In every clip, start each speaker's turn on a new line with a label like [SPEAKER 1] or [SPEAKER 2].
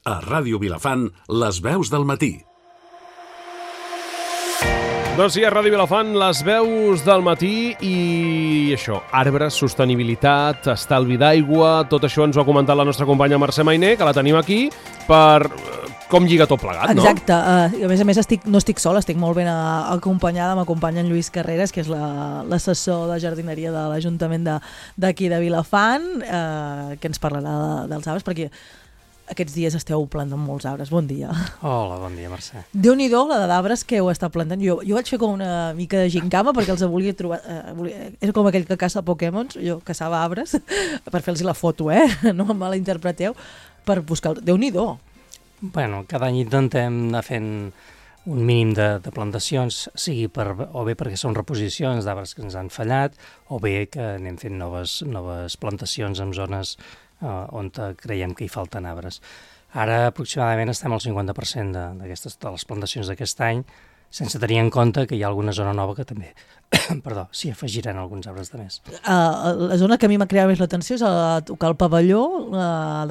[SPEAKER 1] A Ràdio Vilafant, les veus del matí.
[SPEAKER 2] Doncs sí, a Ràdio Vilafant, les veus del matí i això, arbres, sostenibilitat, estalvi d'aigua, tot això ens ho ha comentat la nostra companya Mercè Mainer, que la tenim aquí, per com lliga tot plegat, no?
[SPEAKER 3] Exacte, i a més no estic sola, estic molt ben acompanyada, m'acompanya en Lluís Carreras, que és l'assessor de jardineria de l'Ajuntament d'aquí de Vilafant, que ens parlarà dels arbres, perquè aquests dies esteu plantant molts arbres. Bon dia.
[SPEAKER 4] Hola, bon dia, Mercè.
[SPEAKER 3] Déu-n'hi-do, la d'arbres que heu estat plantant. Jo vaig fer com una mica de gincama perquè els volia trobar... Era com aquell que caça Pokémons, jo caçava arbres per fer-los la foto, no em malinterpreteu, per buscar... Déu-n'hi-do.
[SPEAKER 4] Bueno, cada any intentem anar fent un mínim de plantacions, sigui o bé perquè són reposicions d'arbres que ens han fallat, o bé que anem fent noves plantacions en zones on creiem que hi falten arbres. Ara aproximadament estem al 50% de les plantacions d'aquest any, sense tenir en compte que hi ha alguna zona nova que també s'hi afegiran alguns arbres de més.
[SPEAKER 3] La zona que a mi m'ha cridat més l'atenció és tocar el pavelló,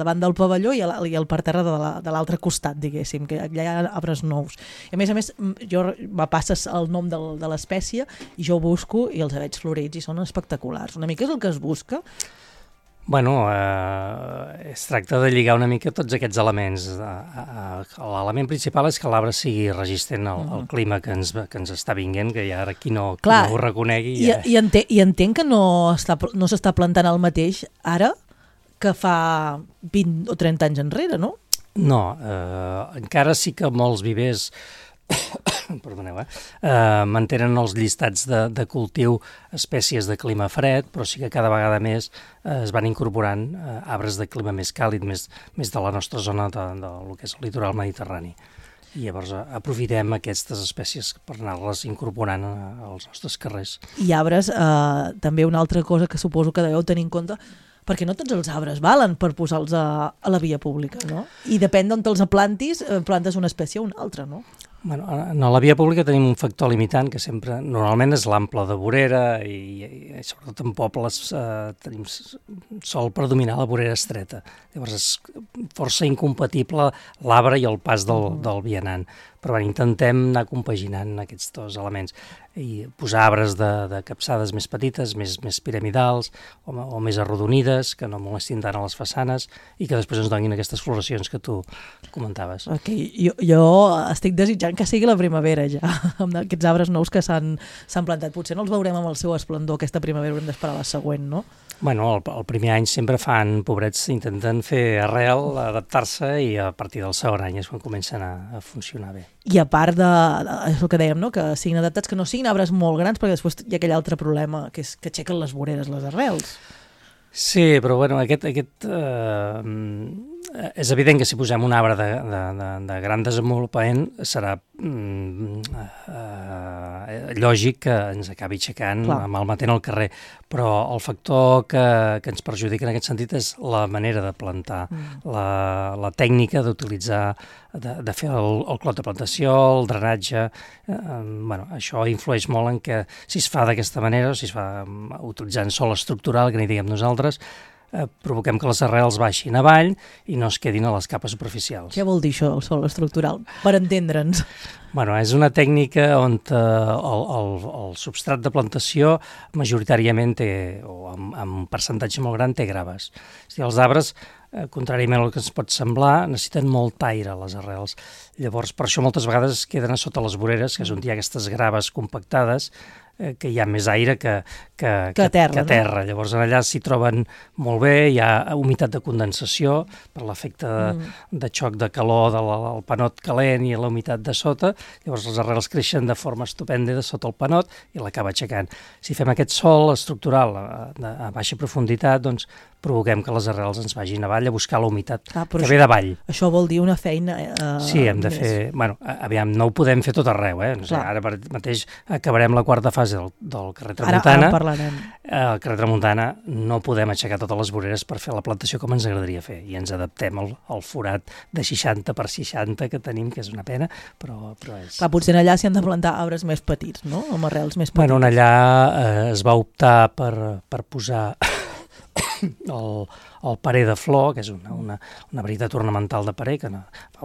[SPEAKER 3] davant del pavelló i el parterre de l'altre costat, diguéssim, que allà hi ha arbres nous. I a més, jo me passes el nom de l'espècie i jo ho busco i els veig florits i són espectaculars. Una mica és el que es busca.
[SPEAKER 4] Bueno, es tracta de lligar una mica tots aquests elements. L'element principal és que l'arbre sigui resistent al clima que ens està vinguent, que ja ara qui no ho reconegui...
[SPEAKER 3] I entenc que no s'està plantant el mateix ara que fa 20 o 30 anys enrere, no?
[SPEAKER 4] No, encara sí que molts vivers... Perdoneu, mantenen els llistats de cultiu espècies de clima fred, però sí que cada vegada més es van incorporant arbres de clima més càlid, més de la nostra zona del que és el litoral mediterrani. I llavors aprofitem aquestes espècies per anar-les incorporant als nostres carrers.
[SPEAKER 3] I arbres, també una altra cosa que suposo que deveu tenir en compte, perquè no tots els arbres valen per posar-los a la via pública, no? I depèn d'on te'ls plantis, plantes una espècie o una altra, no?
[SPEAKER 4] Bueno, en la via pública tenim un factor limitant que sempre, normalment és l'ample de vorera i sobretot en pobles sol predominar la vorera estreta. Llavors és força incompatible l'arbre i el pas del vianant. Però intentem anar compaginant aquests dos elements i posar arbres de capçades més petites, més piramidals o més arrodonides, que no molestin tant a les façanes i que després ens donin aquestes floracions que tu comentaves.
[SPEAKER 3] Jo estic desitjant que sigui la primavera ja, amb aquests arbres nous que s'han plantat. Potser no els veurem amb el seu esplendor aquesta primavera, haurem d'esperar la següent, no?
[SPEAKER 4] Bueno, el primer any sempre pobrets, intenten fer arrel, adaptar-se i a partir del segon any és quan comencen a funcionar bé.
[SPEAKER 3] I a part és el que dèiem, no? Que siguin adaptats, que no siguin arbres molt grans, perquè després hi ha aquell altre problema, que és que aixequen les voreres, les arrels.
[SPEAKER 4] Sí, però bueno, és evident que si posem un arbre de gran desenvolupament serà lògic que ens acabi aixecant, malmetent el carrer, però el factor que ens perjudica en aquest sentit és la manera de plantar, la tècnica d'utilitzar, de fer el clot de plantació, el drenatge, això influeix molt en que si es fa d'aquesta manera, o si es fa utilitzant sòl estructural, que n'hi diguem nosaltres, provoquem que les arrels baixin avall i no es quedin a les capes superficials.
[SPEAKER 3] Què vol dir això, el sòl estructural? Per entendre'ns.
[SPEAKER 4] Bueno, és una tècnica on el substrat de plantació majoritàriament o amb un percentatge molt gran té graves. És a dir, els arbres, contràriament al que ens pot semblar, necessiten molt aire, les arrels. Llavors, per això moltes vegades queden a sota les voreres, que és on hi ha aquestes graves compactades, que hi ha més aire que terra. No? Llavors allà s'hi troben molt bé, hi ha humitat de condensació per l'efecte de xoc de calor del panot calent i la humitat de sota, llavors les arrels creixen de forma estupenda de sota el panot i l'acaba aixecant. Si fem aquest sòl estructural a baixa profunditat, doncs provoquem que les arrels ens vagin avall a buscar la humitat que ve d'avall.
[SPEAKER 3] Això vol dir una feina
[SPEAKER 4] Sí, hem de fer... Bueno, aviam, no ho podem fer tot arreu, No sé, ara mateix acabarem la quarta fase del carrer Tramuntana.
[SPEAKER 3] Ara parlarem.
[SPEAKER 4] Al carrer Tramuntana no podem aixecar totes les voreres per fer la plantació com ens agradaria fer i ens adaptem al forat de 60 per 60 que tenim, que és una pena, però és...
[SPEAKER 3] Clar, potser allà s'hi han de plantar arbres més petits, no? Amb arrels més petites.
[SPEAKER 4] Bueno, allà es va optar per posar... el parer de flor, que és una varietat ornamental de parer, que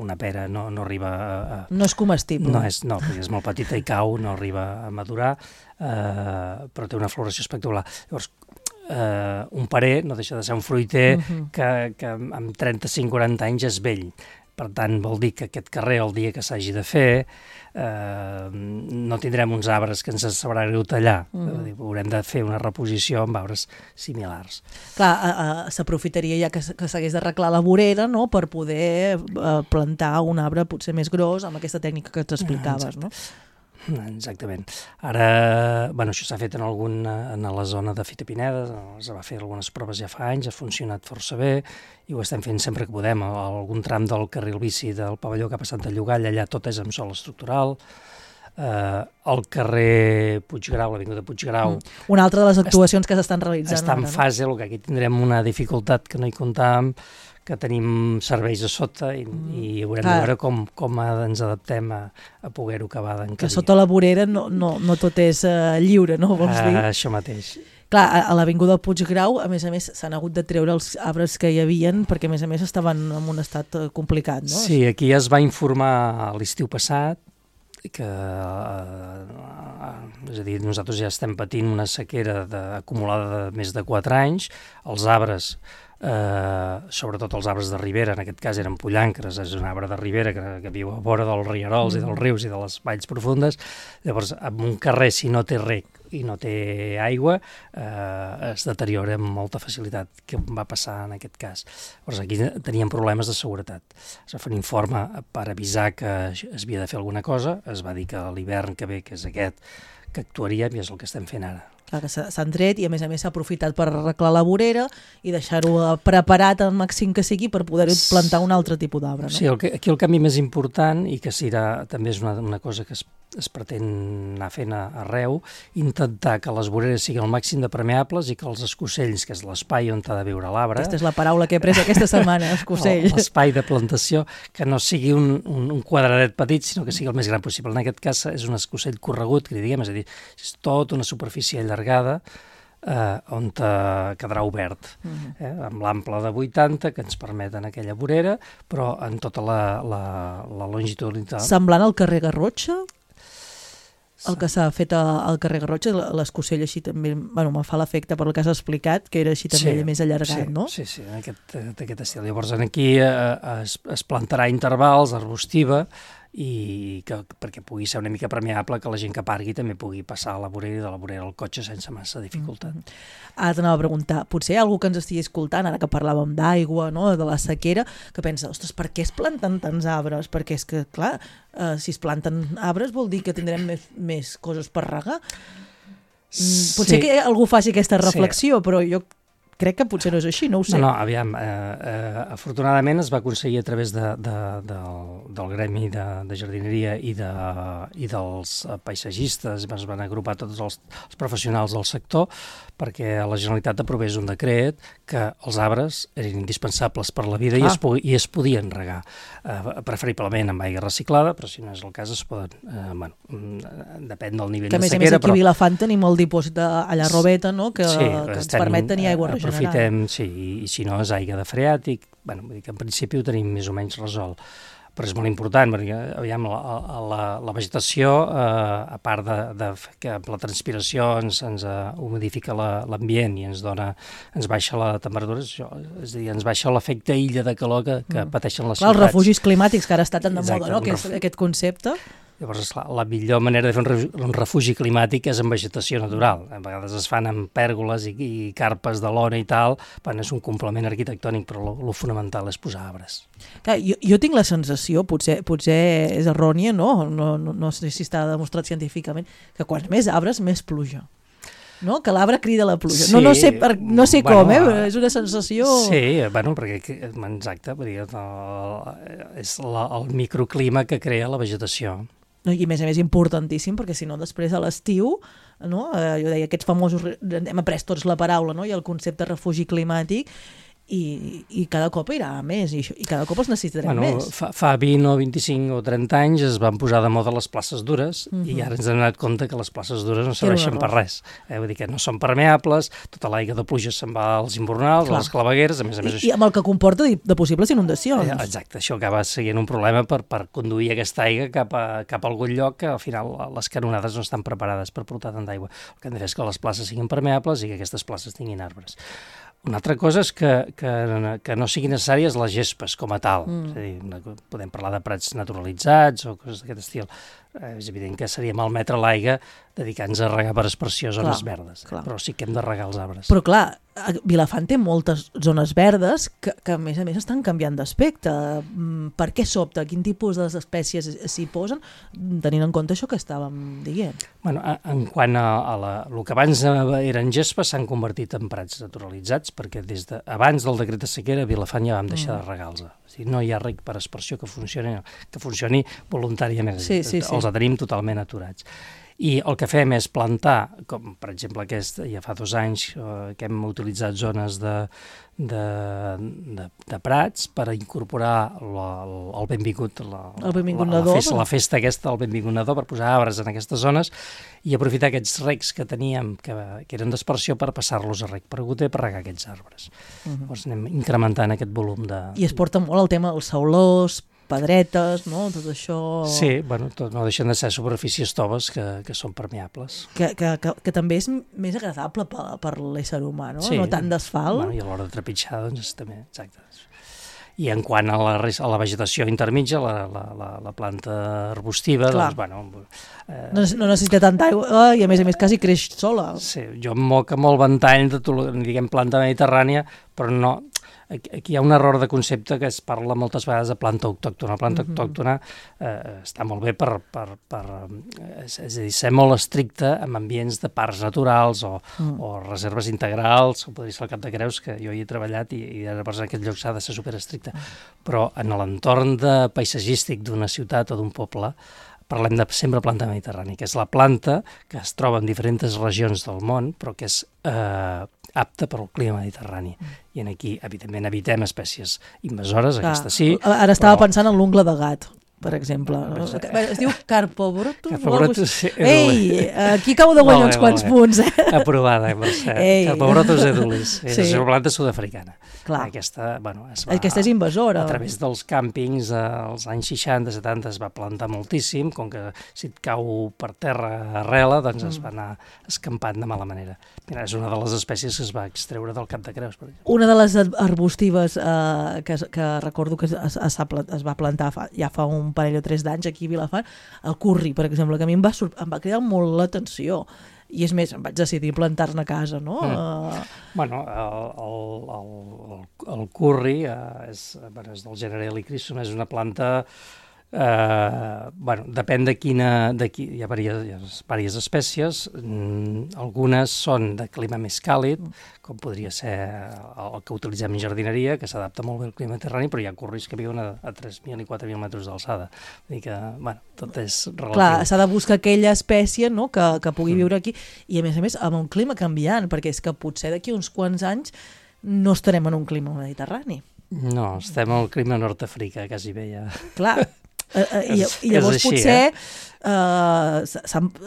[SPEAKER 4] una pera no arriba a...
[SPEAKER 3] No és comestible.
[SPEAKER 4] No, perquè és molt petita i cau, no arriba a madurar, però té una floració espectacular. Llavors, un parer no deixa de ser un fruiter que amb 35-40 anys és vell. Per tant, vol dir que aquest carrer, el dia que s'hagi de fer, no tindrem uns arbres que ens sabrà greu tallar. Haurem de fer una reposició amb arbres similars.
[SPEAKER 3] Clar, s'aprofitaria ja que s'hagués d'arreglar la vorera, no?, per poder plantar un arbre potser més gros amb aquesta tècnica que t'explicaves, no?
[SPEAKER 4] Exactament. Ara, això s'ha fet en la zona de Fita Pineda, es va fer algunes proves ja fa anys, ha funcionat força bé i ho estem fent sempre que podem. Algun tram del carril bici del pavelló cap a Santa Llogalla, allà tot és amb sòl estructural. El carrer Puiggrau, l'avinguda Puiggrau...
[SPEAKER 3] Una altra de les actuacions que s'estan realitzant.
[SPEAKER 4] Està en fase, el que aquí tindrem una dificultat que no hi comptàvem, que tenim serveis a sota i haurem de veure com ens adaptem a poder-ho acabar d'encabir.
[SPEAKER 3] Que sota la vorera no tot és lliure, no? Vols dir?
[SPEAKER 4] Això mateix.
[SPEAKER 3] Clar, a l'avinguda Puiggrau, a més, s'han hagut de treure els arbres que hi havien perquè, a més, estaven en un estat complicat, no?
[SPEAKER 4] Sí, aquí es va informar l'estiu passat que, és a dir, nosaltres ja estem patint una sequera acumulada de més de 4 anys, els arbres, sobretot els arbres de ribera, en aquest cas eren pollancres, és un arbre de ribera que viu a vora dels rierols i dels rius i de les valls profundes. Llavors, en un carrer, si no té reg i no té aigua, es deteriora amb molta facilitat, que va passar en aquest cas. Llavors, aquí teníem problemes de seguretat. Es va fer un informe per avisar que es havia de fer alguna cosa, es va dir que l'hivern que ve, que és aquest, que actuaríem, i és el que estem fent ara.
[SPEAKER 3] Clar, que s'han tret i a més s'ha aprofitat per arreglar la vorera i deixar-ho preparat al màxim que sigui per poder plantar un altre tipus d'arbre, no?
[SPEAKER 4] Sí, aquí el canvi més important, i que també és una cosa que es pretén anar fent arreu, intentar que les voreres siguin al màxim de permeables i que els escocells, que és l'espai on ha de viure l'arbre...
[SPEAKER 3] Aquesta és la paraula que he pres aquesta setmana, escocell.
[SPEAKER 4] L'espai de plantació, que no sigui un quadradet petit, sinó que sigui el més gran possible. En aquest cas és un escocell corregut, que li diguem, és a dir, és tota una superfície allargada on quedarà obert, amb l'ample de 80 que ens permet en aquella vorera, però en tota la longitudinalitat.
[SPEAKER 3] Semblant al carrer Garrotxa? El que s'ha fet al carrer Garrotxa, l'escocell així també, me fa l'efecte per el que has explicat, que era així també més allargat, no?
[SPEAKER 4] Sí, en aquest estil. Llavors aquí es plantarà intervals, arbustiva, i perquè pugui ser una mica permeable, que la gent que pargui també pugui passar a la vorera i de la vorera al cotxe sense massa dificultat.
[SPEAKER 3] Ara t'anava a preguntar, potser hi ha algú que ens estigui escoltant, ara que parlàvem d'aigua, no?, de la sequera, que pensa, ostres, per què es planten tants arbres? Perquè és que, clar, si es planten arbres vol dir que tindrem més coses per regar. Potser que algú faci aquesta reflexió, però jo crec que potser no és així, no ho sé.
[SPEAKER 4] No, aviam, afortunadament es va aconseguir a través del gremi de jardineria i dels paisatgistes, es van agrupar tots els professionals del sector perquè la Generalitat aprovés un decret que els arbres eren indispensables per la vida i es podien regar, preferiblement amb aigua reciclada, però si no és el cas es poden, depèn del nivell de sequera.
[SPEAKER 3] Que a més aquí a Vilafant tenim el dipòsit a la Robeta, no?, que ens permet tenir aigua regenerada.
[SPEAKER 4] Aprofitem, sí, i si no és aigua de freàtic, vull dir que en principi ho tenim més o menys resolt. Però és molt important, perquè aviam, la vegetació, a part que amb la transpiració ens humidifica l'ambient i ens baixa la temperatura, és a dir, ens baixa l'efecte illa de calor que pateixen les ciutats.
[SPEAKER 3] Els refugis climàtics, que ara està tan de moda, no?, que és aquest concepte.
[SPEAKER 4] Llavors, la millor manera de fer un refugi climàtic és amb vegetació natural. A vegades es fan amb pèrgoles i carpes de lona i tal, és un complement arquitectònic, però el fonamental és posar arbres.
[SPEAKER 3] Clar, jo tinc la sensació, potser és errònia, no sé si està demostrat científicament, que quants més arbres, més pluja. No? Que l'arbre crida la pluja.
[SPEAKER 4] Sí,
[SPEAKER 3] no sé com, és una sensació...
[SPEAKER 4] Sí, perquè, exacte, és el microclima que crea la vegetació.
[SPEAKER 3] I a més importantíssim, perquè si no després a l'estiu, no? Jo deia, aquests famosos, hem après tots la paraula, no?, i el concepte refugi climàtic, i cada cop irà a més, i cada cop els necessitarem més.
[SPEAKER 4] Fa 20 o 25 o 30 anys es van posar de moda les places dures i ara ens hem donat compte que les places dures no serveixen per res. Vull dir que no són permeables, tota l'aigua de pluja se'n va als imbornals, a les clavegueres, a més a més...
[SPEAKER 3] I amb el que comporta de possibles inundacions.
[SPEAKER 4] Exacte, això acaba sent un problema per conduir aquesta aigua cap a algun lloc que al final les canonades no estan preparades per portar tant d'aigua. El que hem de fer és que les places siguin permeables i que aquestes places tinguin arbres. Una altra cosa és que no siguin necessàries les gespes com a tal. És a dir, podem parlar de prats naturalitzats o coses d'aquest estil. És evident que seria malmetre l'aigua dedicant-nos a regar per aspersió zones verdes, però sí que hem de regar els arbres.
[SPEAKER 3] Però clar, Vilafant té moltes zones verdes que a més estan canviant d'aspecte. Per què sobta? Quin tipus d'espècies s'hi posen? Tenint en compte això que estàvem dient.
[SPEAKER 4] Bueno, en quant a el que abans eren gespes s'han convertit en prats naturalitzats, perquè abans del decret de sequera a Vilafant ja vam deixar de regar-los. O sigui, no hi ha reg per aspersió que funcioni voluntàriament.
[SPEAKER 3] Sí.
[SPEAKER 4] Els tenim totalment aturats. I el que fem és plantar, com per exemple ja fa 2 anys que hem utilitzat zones de prats per incorporar el benvingut nadó, la festa aquesta, el benvingut nadó, per posar arbres en aquestes zones i aprofitar aquests regs que teníem, que eren d'aspersió, per passar-los a reg per goter per regar aquests arbres. Llavors anem incrementant aquest volum de...
[SPEAKER 3] I es porta molt el tema dels saulors, pedretes, no? Tot això...
[SPEAKER 4] Sí, bueno, no deixen de ser superfícies toves que són permeables.
[SPEAKER 3] Que també és més agradable per l'ésser humà, no?
[SPEAKER 4] Sí.
[SPEAKER 3] No tant d'asfalt.
[SPEAKER 4] Bueno, i a l'hora de trepitjar, doncs, també, exacte. I en quant a la vegetació intermitja, la planta arbustiva, doncs, bueno...
[SPEAKER 3] no necessita tanta aigua i, a més, quasi creix sola.
[SPEAKER 4] Sí, jo em moc amb el ventall de, diguem, planta mediterrània, però no... Aquí hi ha un error de concepte que es parla moltes vegades de planta autòctona. La planta autòctona està molt bé és a dir, ser molt estricte en ambients de parcs naturals o reserves integrals, o podria ser el Cap de Creus, que jo hi he treballat i en aquest lloc s'ha de ser superestricte. Però en l'entorn paisatgístic d'una ciutat o d'un poble parlem de sempre planta mediterrània, que és la planta que es troba en diferents regions del món, però que és apta per al clima mediterrani. I aquí, evidentment, evitem espècies invasores, aquesta sí.
[SPEAKER 3] Ara estava pensant en l'ungla de gat, per exemple. Es diu Carpobrotus?
[SPEAKER 4] Carpobrotus, sí.
[SPEAKER 3] Ei, aquí acabo de guanyar uns quants punts.
[SPEAKER 4] Aprovada, Mercè. Carpobrotus edulis. És una planta sud-africana.
[SPEAKER 3] Clar.
[SPEAKER 4] Aquesta
[SPEAKER 3] és invasora.
[SPEAKER 4] A través dels càmpings, als anys 60-70 es va plantar moltíssim, com que si et cau per terra arrela, doncs es va anar escampant de mala manera. Mira, és una de les espècies que es va extreure del Cap de Creus, per exemple.
[SPEAKER 3] Una de les arbustives que recordo que es va plantar ja fa un parell o 3 d'anys aquí a Vilafant, el curri, per exemple, que a mi em va cridar molt l'atenció. I és més, em vaig decidir plantar-ne a casa, no?
[SPEAKER 4] Bueno, el curri és del gènere Helichrysum, és una planta... depèn hi ha diverses espècies, algunes són de clima més càlid, com podria ser el que utilitzem en jardineria, que s'adapta molt bé al clima mediterrani, però hi ha curris que viuen a 3.000 i 4.000 metres d'alçada. Vull dir que, tot és relatiu.
[SPEAKER 3] Clar, s'ha de buscar aquella espècie, no?, que pugui viure aquí, i a més, amb un clima canviant, perquè és que potser d'aquí uns quants anys no estarem en un clima mediterrani.
[SPEAKER 4] No, estem al clima nord-africà, quasi bé ja.
[SPEAKER 3] Clar, i llavors
[SPEAKER 4] així,
[SPEAKER 3] potser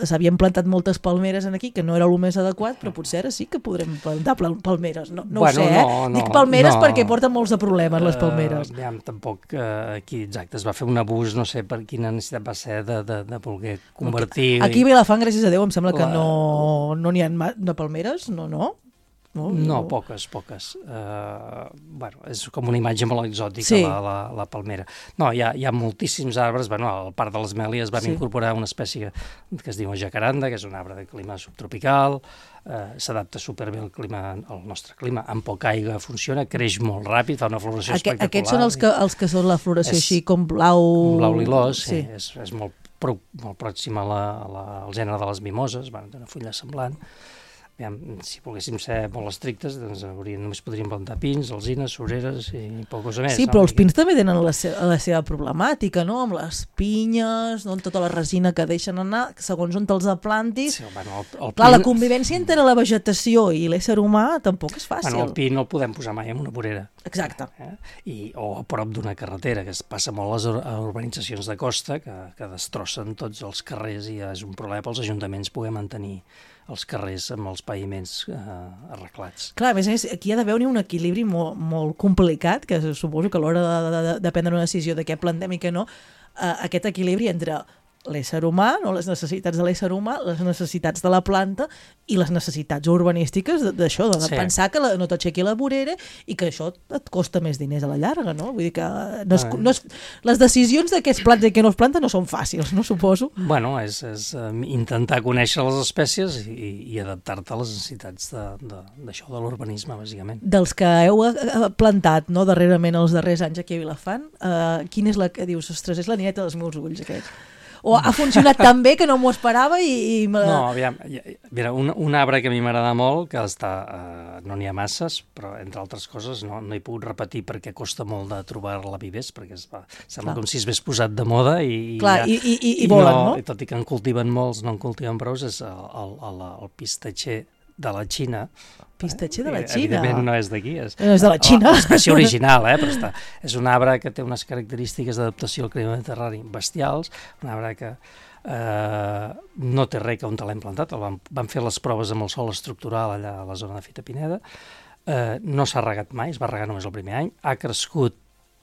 [SPEAKER 3] s'havien plantat moltes palmeres aquí, que no era el més adequat, però potser ara sí que podrem plantar palmeres. No ho sé, dic palmeres perquè porten molts de problemes, les palmeres.
[SPEAKER 4] Tampoc aquí, exacte, es va fer un abús, no sé per quina necessitat va ser de voler convertir...
[SPEAKER 3] Aquí a Vilafant, gràcies a Déu, em sembla que no n'hi ha de palmeres, no?
[SPEAKER 4] No, poques. És com una imatge molt exòtica, la palmera. No, hi ha moltíssims arbres. Al Parc de les Mèlies vam incorporar una espècie que es diu jacaranda, que és un arbre de clima subtropical, s'adapta superbé al nostre clima, amb poca aigua funciona, creix molt ràpid, fa una floració espectacular.
[SPEAKER 3] Aquests són els que són la floració així com blau
[SPEAKER 4] lilós, sí. És molt pròxim al gènere de les mimoses, té una fulla semblant. si volguéssim ser molt estrictes, doncs només podríem plantar pins, alzines, sureres i poca cosa més.
[SPEAKER 3] Sí, però els pins també tenen la seva problemàtica, no? Amb les pinyes, no? Amb tota la resina que deixen anar, segons on te'ls plantis.
[SPEAKER 4] Sí, bueno,
[SPEAKER 3] clar, la convivència entre la vegetació i l'ésser humà tampoc és fàcil.
[SPEAKER 4] Bueno, el pi no el podem posar mai en una vorera.
[SPEAKER 3] Exacte.
[SPEAKER 4] O a prop d'una carretera, que es passa molt a les urbanitzacions de costa, que destrossen tots els carrers i és un problema pels ajuntaments poder mantenir els carrers amb els paviments arreglats.
[SPEAKER 3] Clar, a més, aquí ha d'haver un equilibri molt, molt complicat, que suposo que a l'hora de prendre una decisió de què plantem i què no, aquest equilibri entre l'ésser humà, no? Les necessitats de l'ésser humà, les necessitats de la planta i les necessitats urbanístiques d'això, de pensar que no t'aixequi la vorera i que això et costa més diners a la llarga, no? Vull dir que les decisions de què es planta i què no es planta no són fàcils, no suposo?
[SPEAKER 4] Bueno, és intentar conèixer les espècies i adaptar-te a les necessitats d'això, de l'urbanisme, bàsicament.
[SPEAKER 3] Dels que heu plantat, no, darrerament, els darrers anys aquí a Vilafant, quina és la que dius, ostres, és la nineta dels meus ulls, aquest? O ha funcionat tan bé que no m'ho esperava i...
[SPEAKER 4] No, aviam, mira, un arbre que a mi m'agrada molt, que no n'hi ha masses, però entre altres coses no he pogut repetir perquè costa molt de trobar-la vivers, perquè sembla com si es hagués posat de moda i
[SPEAKER 3] volen, no?
[SPEAKER 4] I tot i que en cultiven molts, no en cultiven prou, és el pistatxer de la Xina.
[SPEAKER 3] Pistatxer de la Xina?
[SPEAKER 4] Evidentment no és d'aquí.
[SPEAKER 3] No és de la Xina.
[SPEAKER 4] L'espècie original, però és un arbre que té unes característiques d'adaptació al clima mediterrani bestials, un arbre que no té res que on te l'hem plantat, van fer les proves amb el sòl estructural allà a la zona de Fita Pineda, no s'ha regat mai, es va regar només el primer any, ha crescut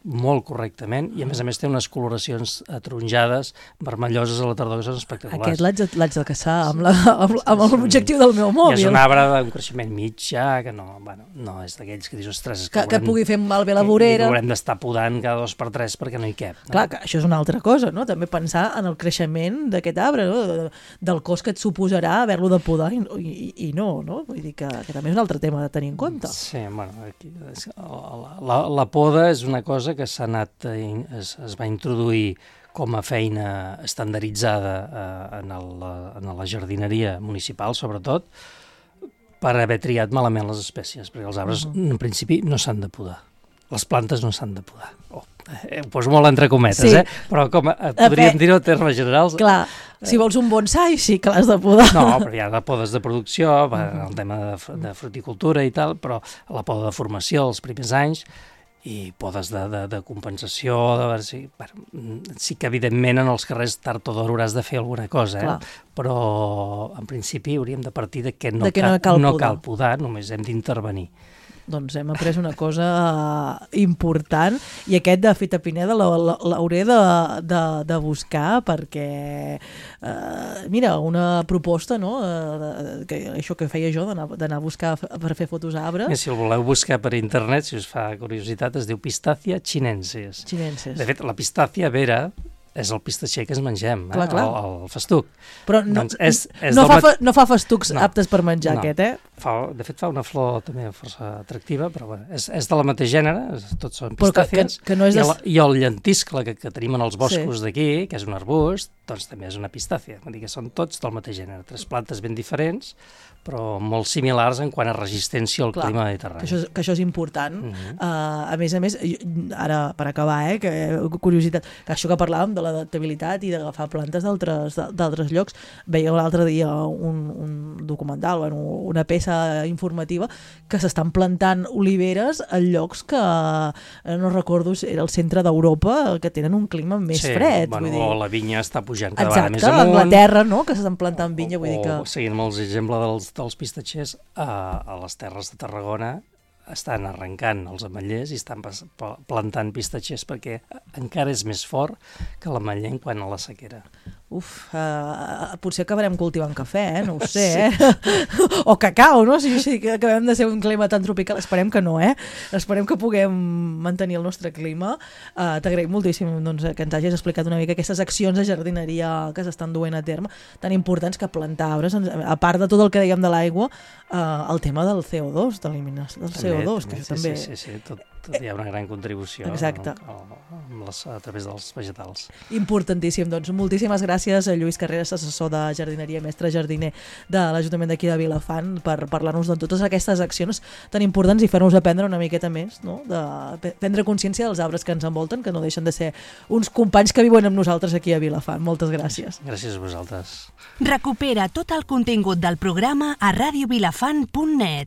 [SPEAKER 4] molt correctament i a més té unes coloracions ataronjades, vermelloses a la tardor, que són espectaculars.
[SPEAKER 3] Aquest l'haig de caçar amb l'objectiu del meu mòbil.
[SPEAKER 4] I és un arbre d'un creixement mitjà, que no és d'aquells que dius, ostres,
[SPEAKER 3] que pugui fer malbé la vorera.
[SPEAKER 4] I haurem d'estar podant cada 2 per 3 perquè no hi cap.
[SPEAKER 3] Clar, que això és una altra cosa, no? També pensar en el creixement d'aquest arbre, no? Del cost que et suposarà haver-lo de podar i no? Vull dir que també és un altre tema de tenir en compte.
[SPEAKER 4] Sí, bueno, la poda és una cosa que es va introduir com a feina estandarditzada en la jardineria municipal, sobretot, per haver triat malament les espècies, perquè els arbres, en principi, no s'han de podar. Les plantes no s'han de podar. Ho poso molt entre cometes,
[SPEAKER 3] sí.
[SPEAKER 4] Però com podríem dir-ho en termes generals...
[SPEAKER 3] Clar, si vols un bonsai, sí que l'has de podar.
[SPEAKER 4] No, però hi ha podes de producció, el tema de fruticultura i tal, però la poda de formació els primers anys, i podes de compensació, sí que evidentment en els carrers tard o d'hora hauràs de fer alguna cosa, però en principi hauríem de partir de que no cal podar, només hem d'intervenir.
[SPEAKER 3] Doncs hem après una cosa important i aquest de Fita Pineda l'hauré de buscar perquè, mira, una proposta, no? Això que feia jo, d'anar a buscar per fer fotos a arbres.
[SPEAKER 4] Si el voleu buscar per internet, si us fa curiositat, es diu Pistacia chinensis.
[SPEAKER 3] De
[SPEAKER 4] fet, la Pistacia vera és el pistatxer que ens mengem, el festuc.
[SPEAKER 3] Però no fa festucs aptes per menjar, aquest,
[SPEAKER 4] De fet, fa una flor també força atractiva, però és de la mateix gènere, tots són pistàcies, i el llentiscle que tenim en els boscos d'aquí, que és un arbust, doncs també és una pistàcia. Vull dir que són tots del mateix gènere, 3 plantes ben diferents, però molt similars en quant a resistència al clima mediterrani.
[SPEAKER 3] Que això és important. A més, ara per acabar, curiositat, que això que parlàvem de l'adaptabilitat i d'agafar plantes d'altres llocs, veia l'altre dia un documental, una peça informativa, que s'estan plantant oliveres en llocs que, no recordo, era el centre d'Europa, que tenen un clima més fred.
[SPEAKER 4] O la vinya està pujant cada vegada més amunt.
[SPEAKER 3] Exacte, a Anglaterra, no?, que s'estan plantant vinya.
[SPEAKER 4] O seguint molts exemples dels pistatxers, a les terres de Tarragona estan arrencant els ametllers i estan plantant pistatxers perquè encara és més fort que l'ametller en quant a la sequera.
[SPEAKER 3] Potser acabarem cultivant cafè, no ho sé, o cacau, no? Si acabem de ser un clima tan tropical, esperem que no, esperem que puguem mantenir el nostre clima. T'agraïm moltíssim que ens hagis explicat una mica aquestes accions de jardineria que s'estan duent a terme, tan importants que plantar arbres, a part de tot el que dèiem de l'aigua, el tema del CO2, de l'eliminació del CO2, que això també...
[SPEAKER 4] Sí, hi ha una gran contribució a través dels vegetals.
[SPEAKER 3] Importantíssim, doncs moltíssimes gràcies a Lluís Carreras, assessor de jardineria, mestre jardiner de l'Ajuntament d'aquí de Vilafant, per parlar-nos de totes aquestes accions tan importants i fer-nos aprendre una miqueta més, no? De prendre consciència dels arbres que ens envolten, que no deixen de ser uns companys que viuen amb nosaltres aquí a Vilafant. Moltes gràcies.
[SPEAKER 4] Gràcies a vosaltres.
[SPEAKER 5] Recupera tot el contingut del programa a radiovilafant.net.